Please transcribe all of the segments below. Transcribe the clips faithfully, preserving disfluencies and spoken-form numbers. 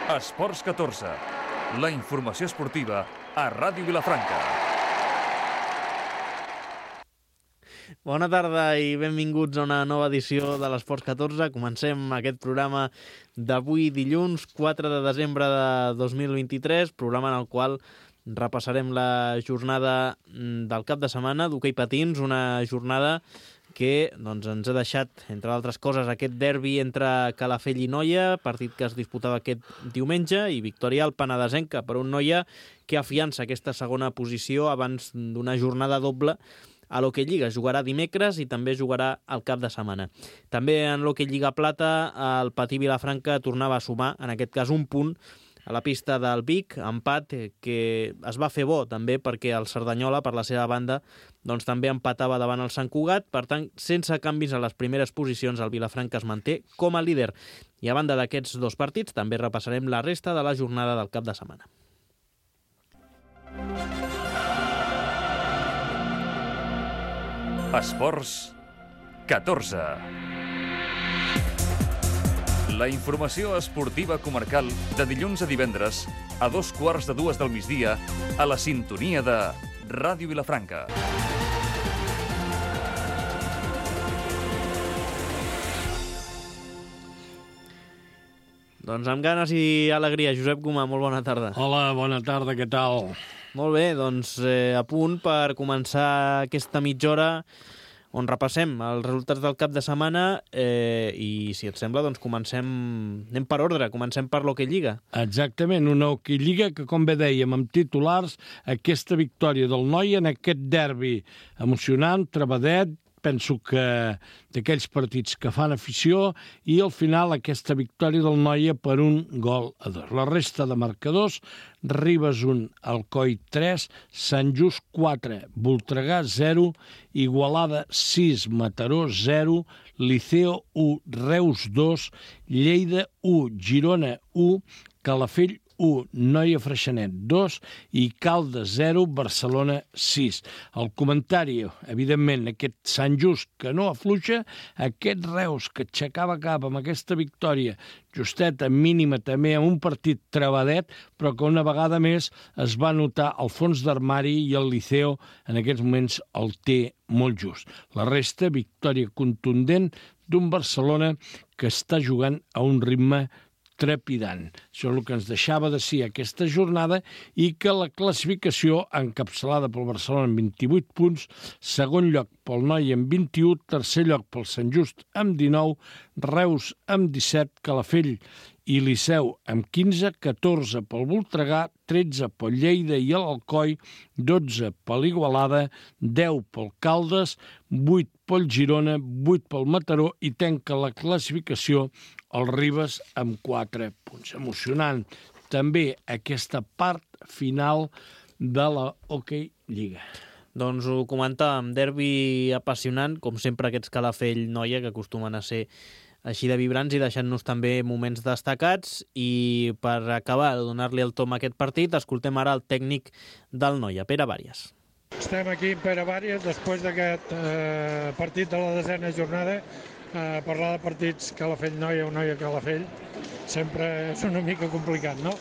Esports catorze, la informació esportiva a Ràdio Vilafranca. Bona tarda i benvinguts a una nova edició de l'Esports catorze. Comencem aquest programa d'avui dilluns, quatre de desembre de dos mil vint-i-tres, programa en el qual repassarem la jornada del cap de setmana d'hoquei patins, una jornada que doncs, ens ha deixat, entre altres coses, aquest derbi entre Calafell i Noia, partit que es disputava aquest diumenge, i victòria al penedesenca per un Noia que afiança aquesta segona posició abans d'una jornada doble a l'Hoquei Lliga. Jugarà dimecres i també jugarà el cap de setmana. També en l'Hoquei Lliga Plata, el Patí Vilafranca tornava a sumar, en aquest cas un punt, a la pista del Vic, empat que es va fer bo també perquè el Cerdanyola, per la seva banda, doncs també empatava davant el Sant Cugat. Per tant, sense canvis a les primeres posicions, el Vilafranca es manté com a líder. I a banda d'aquests dos partits, també repassarem la resta de la jornada del cap de setmana. Esports catorze. La informació esportiva comarcal de dilluns a divendres a dos quarts de dues del migdia a la sintonia de Ràdio Vilafranca. Doncs amb ganes i alegria. Josep Gomà, molt bona tarda. Hola, bona tarda, què tal? Molt bé, doncs eh, a punt per començar aquesta mitja hora on repassem els resultats del cap de setmana eh, i, si et sembla, doncs comencem, anem per ordre, comencem per l'Hoquei Lliga. Exactament, una Hoquei Lliga que, com bé dèiem, amb titulars, aquesta victòria del Noia en aquest derbi emocionant, trebadet, penso que d'aquells partits que fan afició, i al final aquesta victòria del Noia per un gol a dos. La resta de marcadors: Ribes un, Alcoi tres, Sant Just quatre, Voltregà zero, Igualada sis, Mataró zero, Liceo u, Reus dos, Lleida u, Girona u, Calafell u, Noia Freixenet dos i Caldes zero, Barcelona sis. El comentari, evidentment, aquest Sant Just que no afluixa, aquest Reus que aixecava cap amb aquesta victòria justeta, mínima també, amb un partit trebadet, però que una vegada més es va notar el fons d'armari i el Liceo en aquests moments el té molt just. La resta, victòria contundent d'un Barcelona que està jugant a un ritme trepidant. Això és el que ens deixava de ser aquesta jornada, i que la classificació, encapçalada pel Barcelona amb vint-i-vuit punts, segon lloc pel Noia amb vint-i-u, tercer lloc pel Sant Just amb dinou, Reus amb disset, Calafell i Liceu amb quinze, catorze pel Voltregà, tretze pel Lleida i l'Alcoi, dotze per l'Igualada, deu pel Caldes, vuit pel Girona, vuit pel Mataró, i tanca la classificació el Ribes amb quatre punts. Emocionant també aquesta part final de la Hoquei Lliga. Doncs ho comentàvem, derbi apassionant, com sempre aquests Calafell-Noia, que acostumen a ser així de vibrants i deixant-nos també moments destacats. I per acabar de donar-li el tom a aquest partit, escoltem ara el tècnic del Noia, Pere Bàries. Estem aquí amb Pere Bàries després d'aquest eh, partit de la desena jornada. Eh, parlar de partits Calafell-Noia o Noia-Calafell sempre és una mica complicat, no?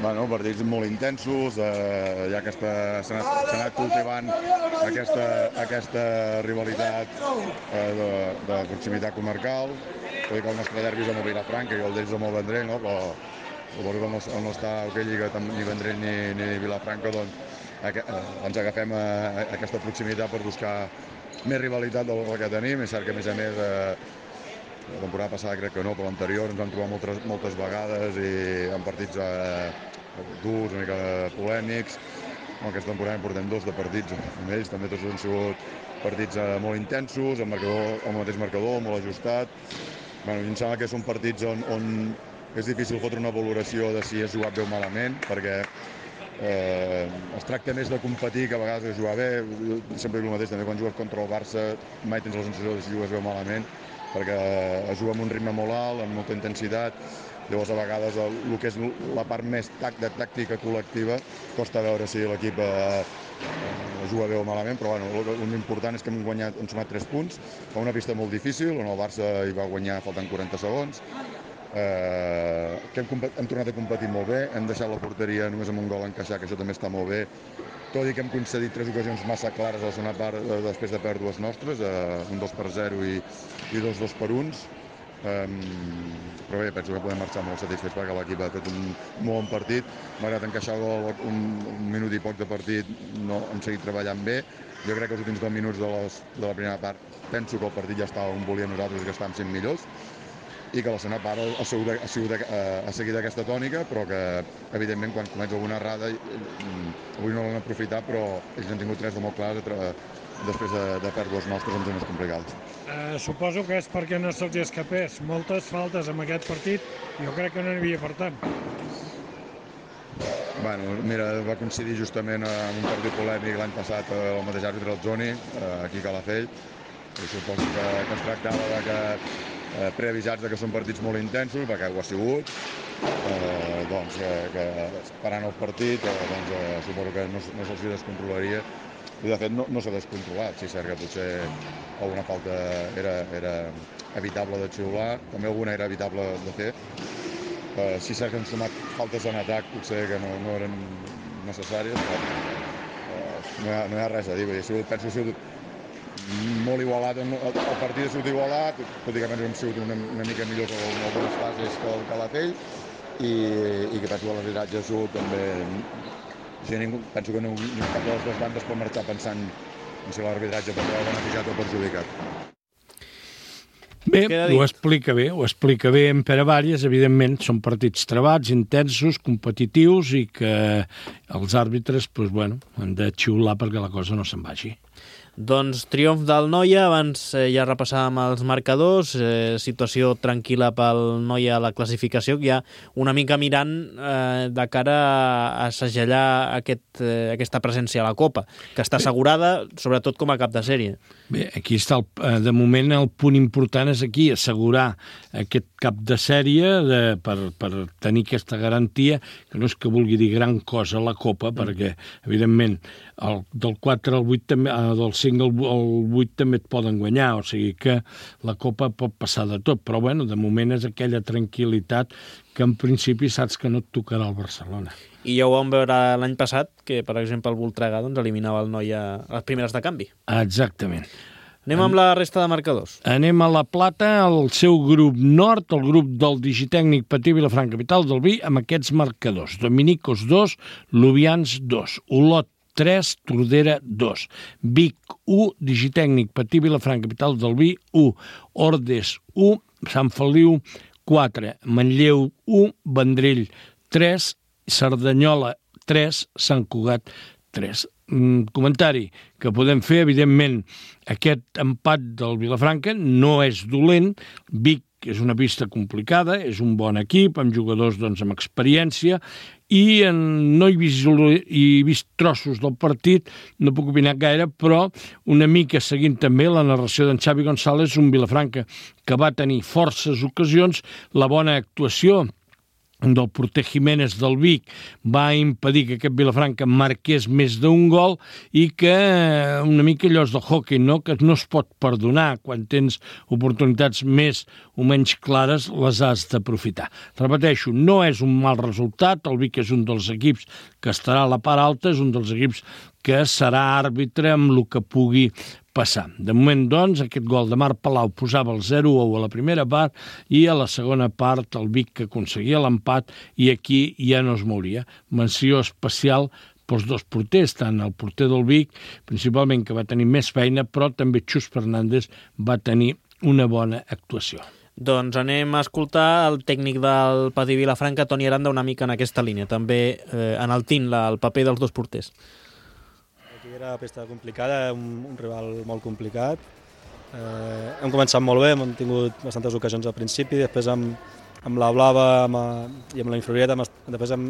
Bueno, partits molt intensos, eh, ja que s'ha anat, anat cultivant aquesta, aquesta rivalitat eh, de, de proximitat comarcal. Vull dir que el nostre derbi és amb el Vilafranca i el d'ells amb el Vendrell, no? Però suposo que no, no està a Hoquei Lliga ni Vendrell ni, ni Vilafranca, doncs eh, ens agafem a, a aquesta proximitat per buscar més rivalitat del que tenim. És cert que, a més a més, eh, la temporada passada crec que no, però l'anterior ens vam trobar moltes, moltes vegades i en partits eh, durs, una mica polèmics. Aquesta temporada en portem dos de partits amb ells, també tots han sigut partits eh, molt intensos, amb, marcador, amb el mateix marcador, molt ajustat. Bueno, em sembla que són partits on, on és difícil fotre una valoració de si és jugat bé o malament, perquè Eh, es tracta més de competir que a vegades de jugar bé. Jo sempre dic el mateix, també quan jugues contra el Barça mai tens la sensació de si jugues bé o malament, perquè es juga amb un ritme molt alt, amb molta intensitat. Llavors a vegades el, el que és la part més tac, de tàctica col·lectiva costa veure si l'equip eh, juga bé o malament, però bueno, l'important és que hem guanyat, hem sumat tres punts a una pista molt difícil, on el Barça hi va guanyar faltant quaranta segons. eh, que hem, hem tornat a competir molt bé, hem deixat la porteria només amb un gol encaixar, que això també està molt bé, tot i que hem concedit tres ocasions massa clares a la segona part eh, després de pèrdues nostres, eh, un dos per zero i, i dos dos per uns. Um, però bé, penso que podem marxar molt satisfets perquè l'equip ha fet un molt bon partit. Malgrat encaixar el gol un, un minut i poc de partit, no hem seguit treballant bé. Jo crec que els últims deu minuts de, les, de la primera part penso que el partit ja estava on volíem nosaltres, que estàvem sent millors, i que la segona part ha, sigut, ha, sigut, ha seguit aquesta tònica, però que evidentment quan comença alguna errada avui no l'han aprofitat, però ells han tingut tres de molt clars després de, de pèrdues nostres en zones complicades. Eh, suposo que és perquè no se'ls escapés. Moltes faltes en aquest partit, jo crec que no n'hi havia per tant. Bueno, mira, va coincidir justament amb un partit polèmic l'any passat el mateix àrbitre, el Joni, aquí a Calafell. I suposo que, que es tractava de que, eh, preavisats de que són partits molt intensos, perquè ho ha sigut, eh, doncs que, que parant el partit, eh, doncs, eh, suposo que no, no se'ls descontrolaria. I de fet no, no s'ha descontrolat, sí, cert que potser alguna falta era, era evitable de xiular, també alguna era evitable de fer. Uh, sí, cert que han sumat faltes en atac, potser que no, no eren necessàries, però uh, no, hi ha, no hi ha res a dir. Ha sigut, penso que ha sigut molt igualat, el partit ha sigut igualat, tot i que hem sigut una, una mica millors en algunes fases que el Calafell, i, i que penso que l'arbitratge ha sigut també... Sí, ningú, penso que no, cap de les dues bandes pot marxar pensant en si l'arbitratge pot haver beneficiat o perjudicat. Bé, ho explica bé, ho explica bé en Pere Vàries. Evidentment, són partits trebats, intensos, competitius i que els àrbitres doncs, bueno, han de xiular perquè la cosa no se'n vagi. Doncs triomf del Noia, abans eh, ja repassàvem els marcadors, eh, situació tranquil·la pel Noia a la classificació, ja una mica mirant eh, de cara a segellar aquest, eh, aquesta presència a la Copa, que està assegurada, sobretot com a cap de sèrie. Bé, aquí està, el, de moment el punt important és aquí, assegurar aquest cap de sèrie de, per, per tenir aquesta garantia, que no és que vulgui dir gran cosa la Copa, mm. perquè, evidentment, el, del quatre al vuit, també, del cinc al, al vuit també et poden guanyar, o sigui que la Copa pot passar de tot, però bueno, de moment és aquella tranquil·litat que en principi saps que no et tocarà el Barcelona. I ja ho vam veure l'any passat, que per exemple el Voltregà doncs, eliminava el Noia a les primeres de canvi. Exactament. Anem amb la resta de marcadors. Anem a la Plata, el seu grup nord, el grup del Digitècnic Patí Vilafranca Capital del Vi, amb aquests marcadors. Dominicos dos, Lubians dos, Olot tres, Tordera dos, Vic u, Digitècnic Patí Vilafranca Capital del Vi u, Ordes u, Sant Feliu quatre, Manlleu u, Vendrell tres, Cerdanyola tres, Sant Cugat tres. Mm, comentari que podem fer, evidentment, aquest empat del Vilafranca no és dolent. Vic és una pista complicada, és un bon equip, amb jugadors doncs, amb experiència, i en, no he vist, he vist trossos del partit, no puc opinar gaire, però una mica seguint també la narració d'en Xavi González, un Vilafranca que va tenir forces ocasions, la bona actuació del porter Jiménez del Vic va impedir que aquest Vilafranca marqués més d'un gol i que una mica allò és del hockey, no? Que no es pot perdonar quan tens oportunitats més o menys clares, les has d'aprofitar. Repeteixo, no és un mal resultat, el Vic és un dels equips que estarà a la part alta, és un dels equips que serà àrbitre amb el que pugui passar. De moment, doncs, aquest gol de Marc Palau posava el zero a u a la primera part i a la segona part el Vic que aconseguia l'empat i aquí ja no es mouria. Menció especial pels dos porters, tant el porter del Vic, principalment que va tenir més feina, però també Xus Fernández va tenir una bona actuació. Doncs anem a escoltar el tècnic del Patí Vilafranca, Toni Aranda, una mica en aquesta línia, també eh, enaltint la, el paper dels dos porters. Era una pista complicada, un, un rival molt complicat. Eh, hem començat molt bé, hem tingut bastantes ocasions al principi, després amb, amb la blava amb, i amb la inferioritat hem, després hem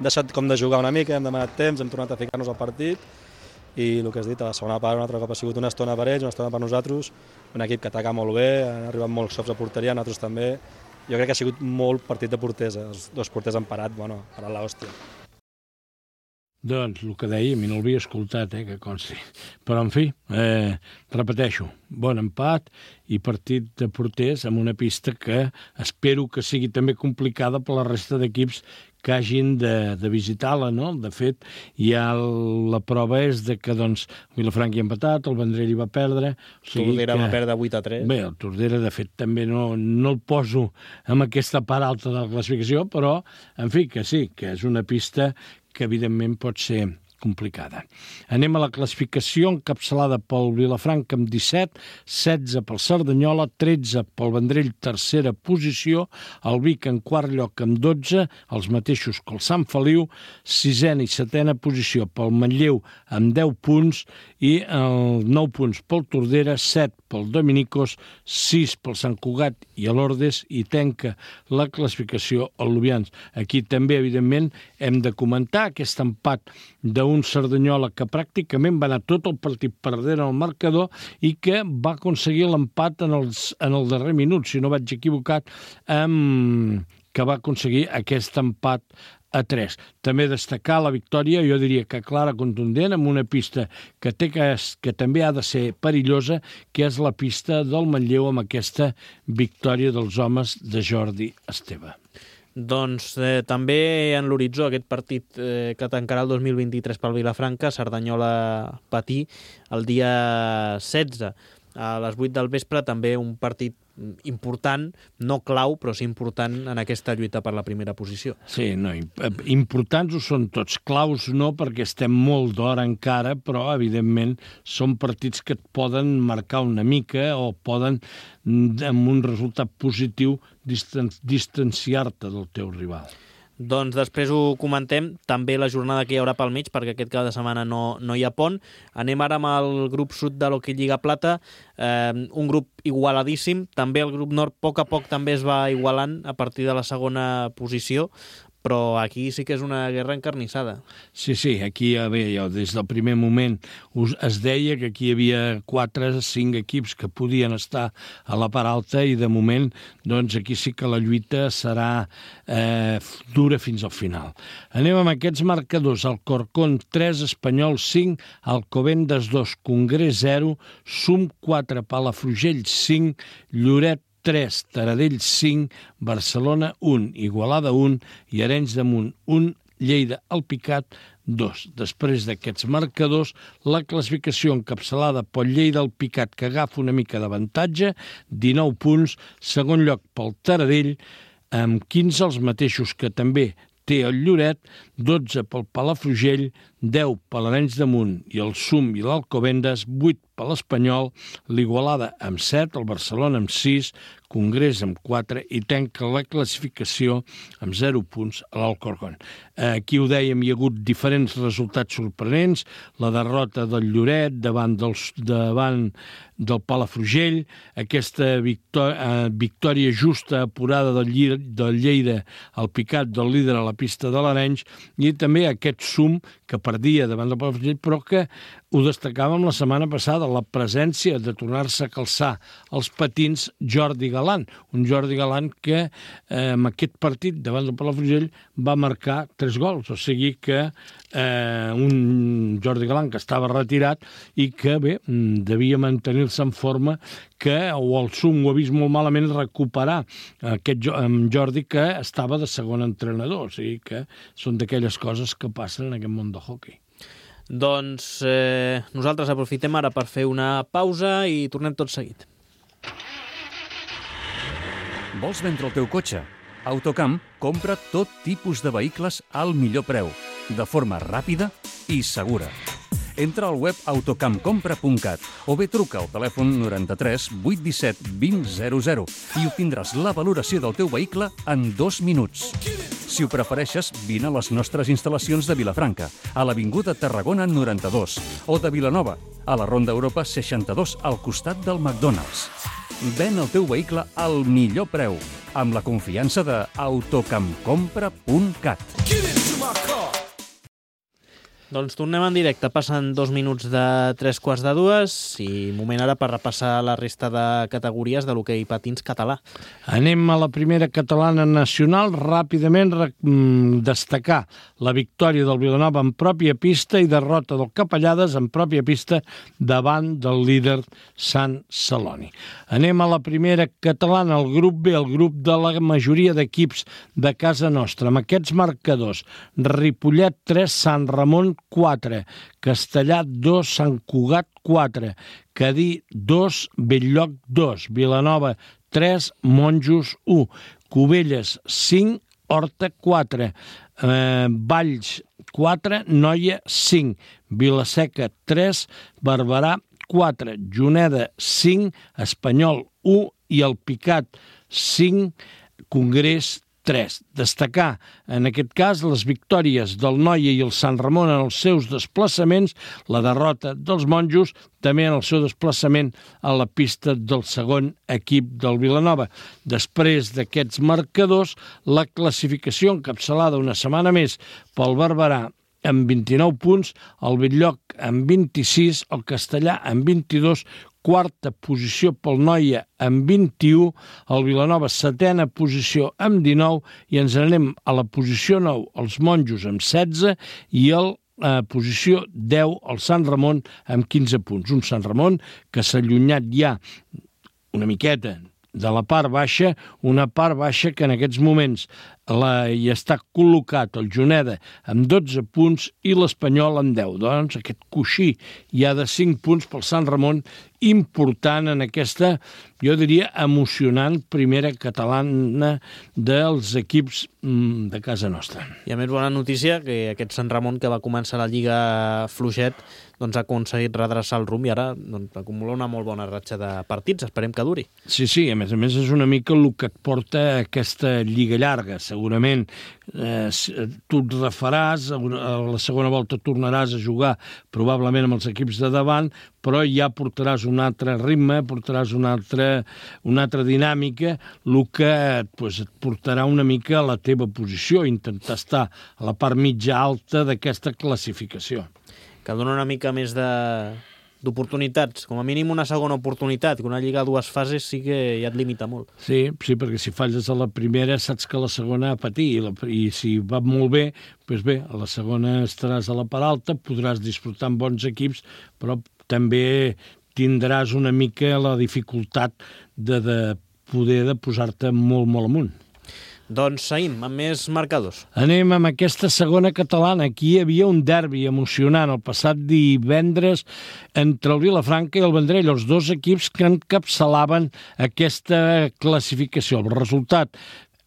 deixat com de jugar una mica, hem demanat temps, hem tornat a ficar-nos al partit i el que has dit, a la segona part un altre cop ha sigut una estona per ells, una estona per nosaltres, un equip que ataca molt bé, han arribat molts cops a porteria, nosaltres també. Jo crec que ha sigut molt partit de porters, els dos porters han parat, bueno, parat l'hòstia. Doncs el que deia, a mi no l'havia escoltat, eh, que consti. Però, en fi, eh, repeteixo, bon empat i partit de porters amb una pista que espero que sigui també complicada per la resta d'equips que hagin de, de visitar-la, no? De fet, ja la prova és de que, doncs, Vilafranca hi ha empatat, el Vendrell hi va perdre... O sigui Tordera que... va perdre vuit a tres. Bé, el Tordera, de fet, també no, no el poso amb aquesta part alta de la classificació, però, en fi, que sí, que és una pista que, evidentment, pot ser complicada. Anem a la classificació encapçalada pel Vilafranca amb disset, setze pel Cerdanyola, tretze pel Vendrell, tercera posició, el Vic en quart lloc amb dotze, els mateixos que el Sant Feliu, sisena i setena posició pel Manlleu amb deu punts i el nou punts pel Tordera, set pel Dominicos, sis pel Sant Cugat i l'Ordes i tanca la classificació el Lubians. Aquí també, evidentment, hem de comentar aquest empat d'un Cerdanyola que pràcticament va anar tot el partit perdent el marcador i que va aconseguir l'empat en, els, en el darrer minut, si no vaig equivocat, amb, que va aconseguir aquest empat a tres. També destacar la victòria, jo diria que clara, contundent, amb una pista que, té que, que també ha de ser perillosa, que és la pista del Manlleu amb aquesta victòria dels homes de Jordi Esteve. Doncs eh, també en l'horitzó aquest partit eh, que tancarà el dos mil vint-i-tres pel Vilafranca, Cerdanyola Patí, el dia setze a les vuit del vespre, també un partit important, no clau, però sí important en aquesta lluita per la primera posició. Sí, no, importants ho són tots, claus no, perquè estem molt d'hora encara, però evidentment són partits que et poden marcar una mica o poden, amb un resultat positiu, distan distanciar-te del teu rival. Doncs després ho comentem, també la jornada que hi haurà pel mig, perquè aquest cap de setmana no, no hi ha pont. Anem ara amb el grup sud de l'Hockey Lliga Plata, eh, un grup igualadíssim, també el grup nord a poc a poc també es va igualant a partir de la segona posició, però aquí sí que és una guerra encarnissada. Sí, sí, aquí bé, jo, des del primer moment us, es deia que aquí hi havia quatre, cinc equips que podien estar a la part alta i de moment doncs aquí sí que la lluita serà eh, dura fins al final. Anem amb aquests marcadors. Alcorcón tres, Espanyol cinc, Alcobendas dos, Congrés zero, Sum quatre, Palafrugell cinc, Lloret tres, Taradell cinc, Barcelona un, Igualada un i Arenys de Munt un, Lleida Alpicat dos. Després d'aquests marcadors, la classificació encapçalada pel Lleida Alpicat, que agafa una mica d'avantatge, dinou punts, segon lloc pel Taradell, amb quinze els mateixos que també té el Lloret, dotze pel Palafrugell, deu per l'Arenys de Munt i el Sum i l'Alcobendas, vuit per l'Espanyol, l'Igualada amb set, el Barcelona amb sis, Congrés amb quatre i tanca la classificació amb zero punts a l'Alcorcón. Aquí ho dèiem, hi ha hagut diferents resultats sorprenents, la derrota del Lloret davant, dels, davant del Palafrugell, aquesta victòria, victòria justa apurada del, Lli, del Lleida al Picat, del líder a la pista de l'Arenys, i també aquest Sum que perdia davant del Palafrugell, però que ho destacàvem la setmana passada, la presència de tornar-se a calçar els patins Jordi Galant, un Jordi Galant que eh, amb aquest partit davant del Palafrugell va marcar tres gols, o sigui que eh, un Jordi Galant que estava retirat i que bé, devia mantenir-se en forma, que o el Sum ho ha vist molt malament recuperar aquest Jordi que estava de segon entrenador, o sigui que són d'aquelles coses que passen en aquest món del hoquei. Doncs eh, nosaltres aprofitem ara per fer una pausa i tornem tot seguit. Vols vendre el teu cotxe? Autocamp compra tot tipus de vehicles al millor preu, de forma ràpida i segura. Entra al web autocamp compra punt cat o bé truca al telèfon noranta-tres vuit disset vint zero zero i obtindràs la valoració del teu vehicle en dos minuts. Si ho prefereixes, vine a les nostres instal·lacions de Vilafranca, a l'Avinguda Tarragona noranta-dos, o de Vilanova, a la Ronda Europa seixanta-dos, al costat del McDonald's. Ven el teu vehicle al millor preu, amb la confiança de autocamp compra punt cat. Doncs tornem en directe, passen dos minuts de tres quarts de dues i moment ara per repassar la resta de categories de l'hoquei patins català. Anem a la primera catalana nacional. Ràpidament destacar la victòria del Vilanova en pròpia pista i derrota del Capellades en pròpia pista davant del líder Sant Celoni. Anem a la primera catalana, el grup B, el grup de la majoria d'equips de casa nostra. Amb aquests marcadors, Ripollet tres, Sant Ramon quatre, Castellà dos, Sant Cugat quatre, Cadí dos, Bell-lloc dos, Vilanova tres, Monjos u, Cubelles cinc, Horta quatre, eh, Valls quatre, Noia cinc, Vilaseca tres, Barberà quatre, Juneda cinc, Espanyol u i el Picat cinc, Congrés tres. Destacar, en aquest cas, les victòries del Noia i el Sant Ramon en els seus desplaçaments, la derrota dels Monjos, també en el seu desplaçament a la pista del segon equip del Vilanova. Després d'aquests marcadors, la classificació encapçalada una setmana més pel Barberà amb vint-i-nou punts, el Bell-lloc amb vint-i-sis, el Castellà amb vint-i-dos, quarta posició pel Noia amb vint-i-u, el Vilanova setena posició amb dinou i ens anem a la posició nou, els Monjos amb setze i el eh, posició deu, el Sant Ramon amb quinze punts. Un Sant Ramon que s'ha allunyat ja una miqueta de la part baixa, una part baixa que en aquests moments la, hi està col·locat el Juneda amb dotze punts i l'Espanyol amb deu. Doncs aquest coixí ja de cinc punts pel Sant Ramon, important en aquesta, jo diria, emocionant primera catalana dels equips mm, de casa nostra. I a més, bona notícia, que aquest Sant Ramon que va començar la Lliga fluixet doncs ha aconseguit redreçar el rumb i ara doncs, acumula una molt bona ratxa de partits. Esperem que duri. Sí, sí, a més a més és una mica el que et porta aquesta lliga llarga. Segurament eh, tu et refaràs, a la segona volta tornaràs a jugar probablement amb els equips de davant, però ja portaràs un altre ritme, portaràs una altra, una altra dinàmica, el que pues, et portarà una mica a la teva posició, intentar estar a la part mitja alta d'aquesta classificació. Que dona una mica més de d'oportunitats, com a mínim una segona oportunitat, que una lliga a dues fases sí que ja et limita molt. Sí, sí, perquè si falles a la primera saps que la segona a patir, i, la, i si va molt bé, doncs bé, a la segona estaràs a la part alta, podràs disfrutar amb bons equips, però també tindràs una mica la dificultat de, de poder de posar-te molt, molt amunt. Doncs seguim amb més marcadors. Anem amb aquesta segona catalana. Aquí hi havia un derbi emocionant el passat divendres entre el Vilafranca i el Vendrell, els dos equips que encapçalaven aquesta classificació. El resultat,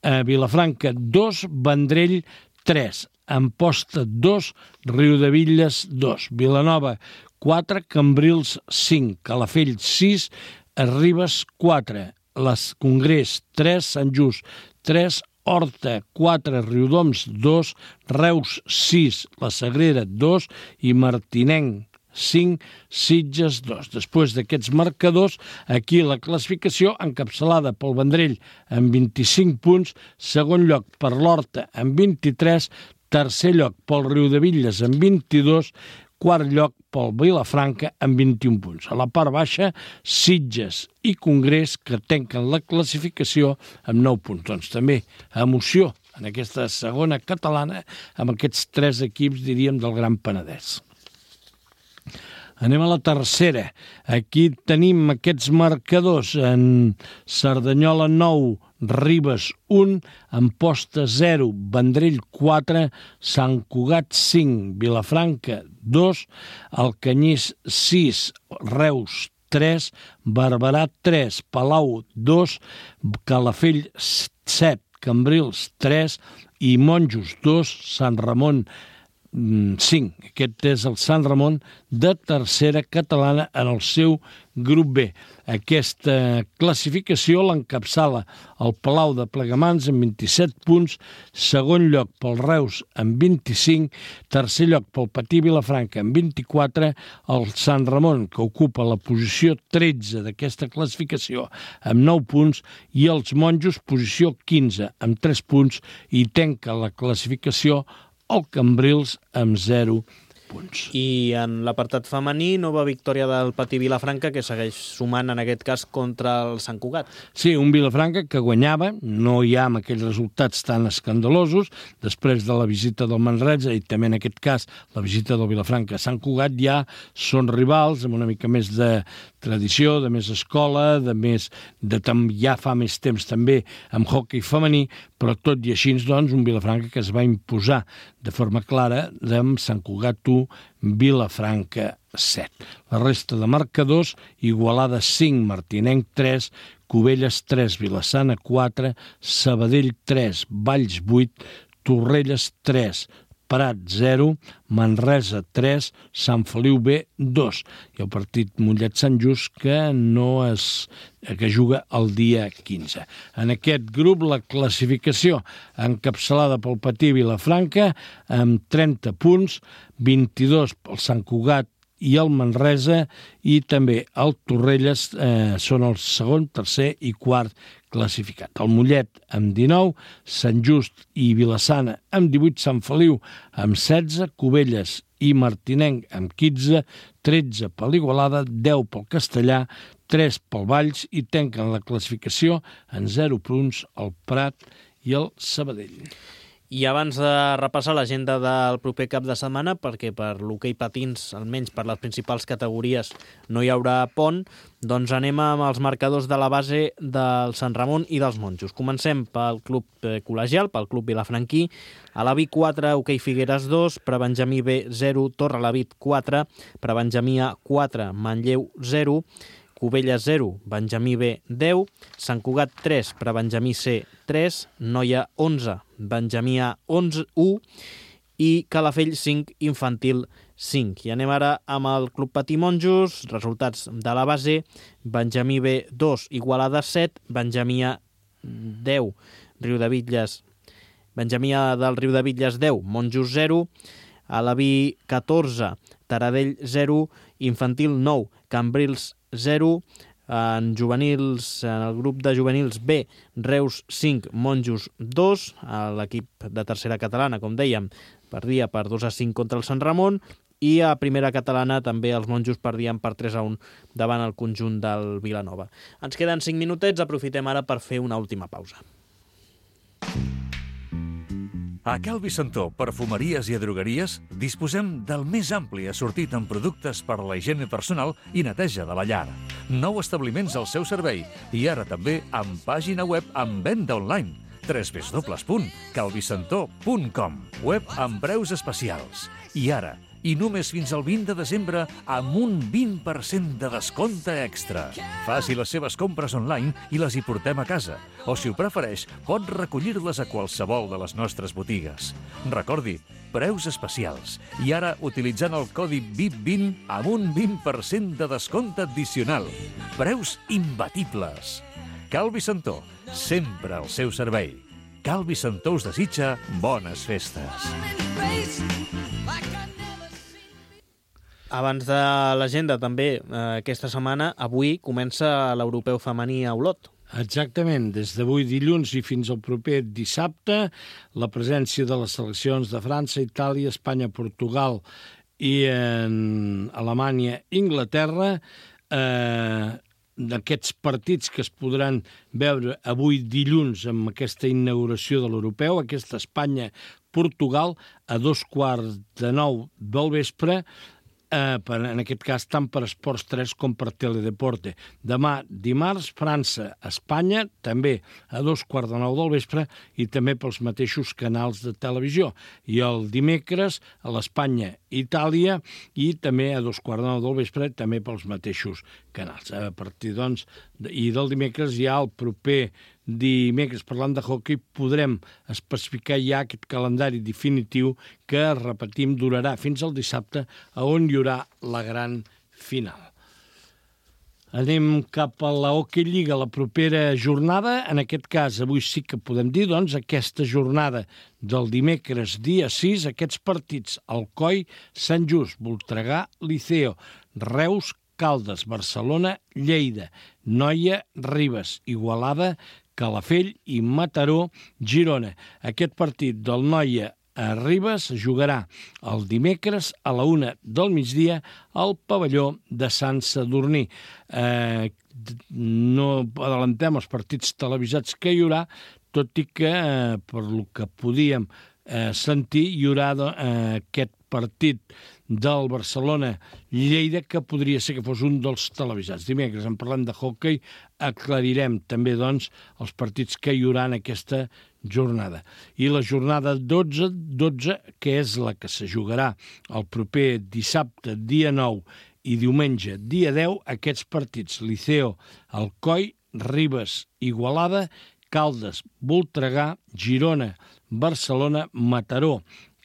eh, Vilafranca dos, Vendrell tres, Amposta dos, Riudebitlles dos, Vilanova quatre, Cambrils cinc, Calafell sis, Ribes quatre, les Congrés tres, Sant Just tres, Horta quatre, Riudoms dos, Reus sis, la Sagrera dos i Martinenc cinc, Sitges dos. Després d'aquests marcadors, aquí la classificació encapçalada pel Vendrell amb vint-i-cinc punts, segon lloc per l'Horta amb vint-i-tres, tercer lloc pel Riudebitlles amb vint-i-dos, quart lloc pel Vilafranca amb vint-i-un punts. A la part baixa, Sitges i Congrés que tanquen la classificació amb nou punts. Doncs també emoció en aquesta segona catalana amb aquests tres equips, diríem, del Gran Penedès. Anem a la tercera. Aquí tenim aquests marcadors en Cerdanyola nou, Ribes un, Amposta zero, Vendrell quatre, Sant Cugat cinc, Vilafranca dos, Alcanyís sis, Reus tres, Barberà tres, Palau dos, Calafell set, Cambrils tres i Monjos dos, Sant Ramon cinc. Aquest és el Sant Ramon de tercera catalana en el seu grup B. Aquesta classificació l'encapçala el Palau de Plegamans amb vint-i-set punts, segon lloc pel Reus amb vint-i-cinc, tercer lloc pel Patí Vilafranca amb vint-i-quatre, el Sant Ramon, que ocupa la posició tretze d'aquesta classificació amb nou punts, i els Monjos, posició quinze, amb tres punts, i tanca la classificació el Cambrils amb zero punts. I en l'apartat femení, nova victòria del Patí Vilafranca, que segueix sumant, en aquest cas, contra el Sant Cugat. Sí, un Vilafranca que guanyava, no hi ha amb aquells resultats tan escandalosos, després de la visita del Manresa i també en aquest cas la visita del Vilafranca a Sant Cugat, ja són rivals amb una mica més de tradició, de més escola, de més de ja fa més temps també amb hoquei femení, però tot i així, doncs, un Vilafranca que es va imposar de forma clara amb Sant Cugat u, Vilafranca set. La resta de marcadors, Igualada cinc, Martinenc tres, Cubelles tres, Vilassana quatre, Sabadell tres, Valls vuit, Torrelles tres, Prat zero, Manresa tres, Sant Feliu B dos. I el partit Mollet-Sant Just que no es, que juga el dia quinze. En aquest grup la classificació encapçalada pel Patí Vilafranca amb trenta punts, vint-i-dos pel Sant Cugat i el Manresa, i també el Torrelles eh, són el segon, tercer i quart classificat. El Mollet amb dinou, Sant Just i Vilassana amb divuit, Sant Feliu amb setze, Cubelles i Martinenc amb quinze, tretze per l'Igualada, deu pel Castellà, tres pel Valls, i tanquen la classificació en zero punts el Prat i el Sabadell. I abans de repassar l'agenda del proper cap de setmana, perquè per l'hoquei patins, almenys per les principals categories, no hi haurà pont, doncs anem amb els marcadors de la base del Sant Ramon i dels Monjos. Comencem pel club col·legial, pel club vilafranquí. A la B quatre, hoquei Figueres dos, Prebenjamí B zero, Torrelavit quatre, Prebenjamí A quatre, Manlleu zero, Cubelles zero, Benjamí B deu, Sant Cugat tres, Prebenjamí C tres, Noia onze, Benjamí A onze, u, i Calafell cinc, Infantil cinc. I anem ara amb el Club Patí Monjos, resultats de la base: Benjamí B dos, Igualada set, Benjamí A deu, Riudebitlles, Benjamí A del Riudebitlles deu, Monjos zero, a la B catorze, Taradell zero, Infantil nou, Cambrils zero, en juvenils, en el grup de juvenils B, Reus cinc, Monjos dos, a l'equip de tercera catalana, com dèiem, perdia per dos a cinc contra el Sant Ramon, i a primera catalana també els Monjos perdien per tres a un davant el conjunt del Vilanova. Ens queden cinc minutets, aprofitem ara per fer una última pausa. A Cal Vicentó, perfumeries i drogueries, disposem del més ampli assortit en productes per a la higiene personal i neteja de la llar. Nou establiments al seu servei i ara també amb pàgina web amb venda online. w w w punt calvicentó punt com. Web amb preus especials. I ara, i només fins al vint de desembre, amb un vint per cent de descompte extra. Faci les seves compres online i les hi portem a casa. O, si ho prefereix, pot recollir-les a qualsevol de les nostres botigues. Recordi, preus especials. I ara, utilitzant el codi V I P vint amb un vint per cent de descompte addicional. Preus imbatibles. Cal Vicentó, sempre al seu servei. Cal Vicentó us desitja bones festes. Abans de l'agenda, també, eh, aquesta setmana, avui comença l'Europeu femení a Olot. Exactament, des d'avui dilluns i fins al proper dissabte, la presència de les seleccions de França, Itàlia, Espanya, Portugal i en Alemanya, Inglaterra, eh, d'aquests partits que es podran veure avui dilluns amb aquesta inauguració de l'Europeu, aquesta Espanya-Portugal, a dos quarts de nou del vespre, Eh, per, en aquest cas tant per Esports tres com per Teledeporte. Demà, dimarts, França-Espanya, també a dos quarts de nou del vespre, i també pels mateixos canals de televisió. I el dimecres a l'Espanya-Itàlia, i també a dos quarts de nou del vespre, també pels mateixos canals. A partir, doncs, i del dimecres ja el proper dimecres, parlant de hoquei, podrem especificar ja aquest calendari definitiu que, repetim, durarà fins al dissabte, a on hi haurà la gran final. Anem cap a la Hockey Lliga, la propera jornada. En aquest cas, avui sí que podem dir, doncs, aquesta jornada del dimecres, dia sis, aquests partits: Alcoi, Sant Just, Voltregà, Liceo, Reus, Caldes, Barcelona, Lleida, Noia, Ribes, Igualada, Calafell i Mataró, Girona. Aquest partit del Noia a Ribes es jugarà el dimecres a la una del migdia al pavelló de Sant Sadurní. Eh, no adelantem els partits televisats que hi haurà, tot i que, eh, per lo que podíem eh, sentir, hi haurà eh, aquest partit del Barcelona-Lleida, que podria ser que fos un dels televisats. Dimecres, en parlem de hoquei, aclarirem també, doncs, els partits que hi haurà en aquesta jornada. I la jornada dotze, dotze, que és la que se jugarà el proper dissabte, dia nou, i diumenge, dia deu, aquests partits: Liceo, Alcoi, Ribes, Igualada, Caldes, Voltregà, Girona, Barcelona, Mataró,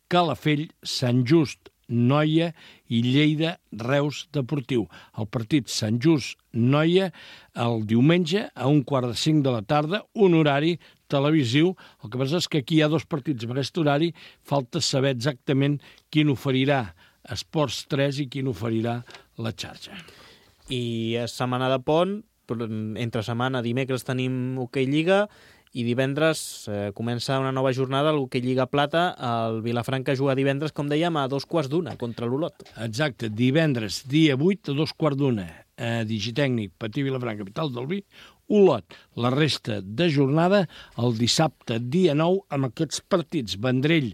Calafell, Sant Just, Noia i Lleida, Reus Deportiu. El partit Sant Just, Noia, el diumenge a un quart de cinc de la tarda, un horari televisiu. El que passa és que aquí hi ha dos partits amb aquest horari, falta saber exactament quin oferirà Esports tres i quin oferirà la xarxa. I és setmana de pont, entre setmana, dimecres tenim Hoquei Lliga, i divendres eh, comença una nova jornada al Hoquei Lliga Plata. El Vilafranca juga divendres, com dèiem, a dos quarts d'una contra l'Olot. Exacte, divendres, dia vuit, a dos quarts d'una. Eh, Digitècnic, Patí Vilafranca, capital del vi, Olot. La resta de jornada, el dissabte, dia nou, amb aquests partits: Vendrell,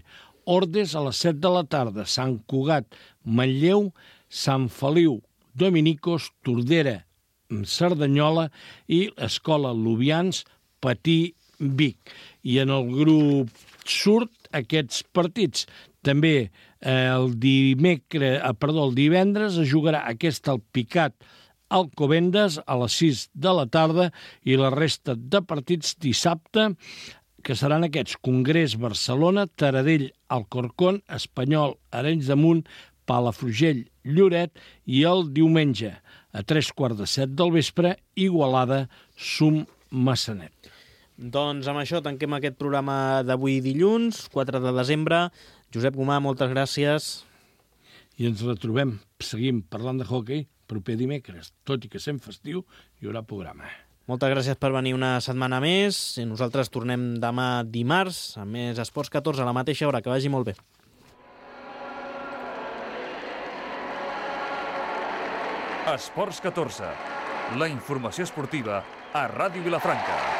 Ordes a les set de la tarda, Sant Cugat, Manlleu, Sant Feliu, Dominicos, Tordera, Cerdanyola i Escola Lubians, Patí, Vic. I en el grup surt aquests partits. També eh, el dimecres, eh, perdó, el divendres es jugarà aquest Alpicat Alcobendas a les sis de la tarda, i la resta de partits dissabte, que seran aquests: Congrés Barcelona, Taradell Alcorcón, Espanyol Arenys de Munt, Palafrugell Lloret, i el diumenge a tres quarts de set del vespre, Igualada Sum Massanet. Doncs amb això tanquem aquest programa d'avui dilluns, quatre de desembre. Josep Gomà, moltes gràcies. I ens retrobem, seguim parlant de hoquei, proper dimecres. Tot i que sent festiu, hi haurà programa. Moltes gràcies per venir una setmana més. I nosaltres tornem demà dimarts amb més Esports catorze a la mateixa hora. Que vagi molt bé. Esports catorze, la informació esportiva a Ràdio Vilafranca.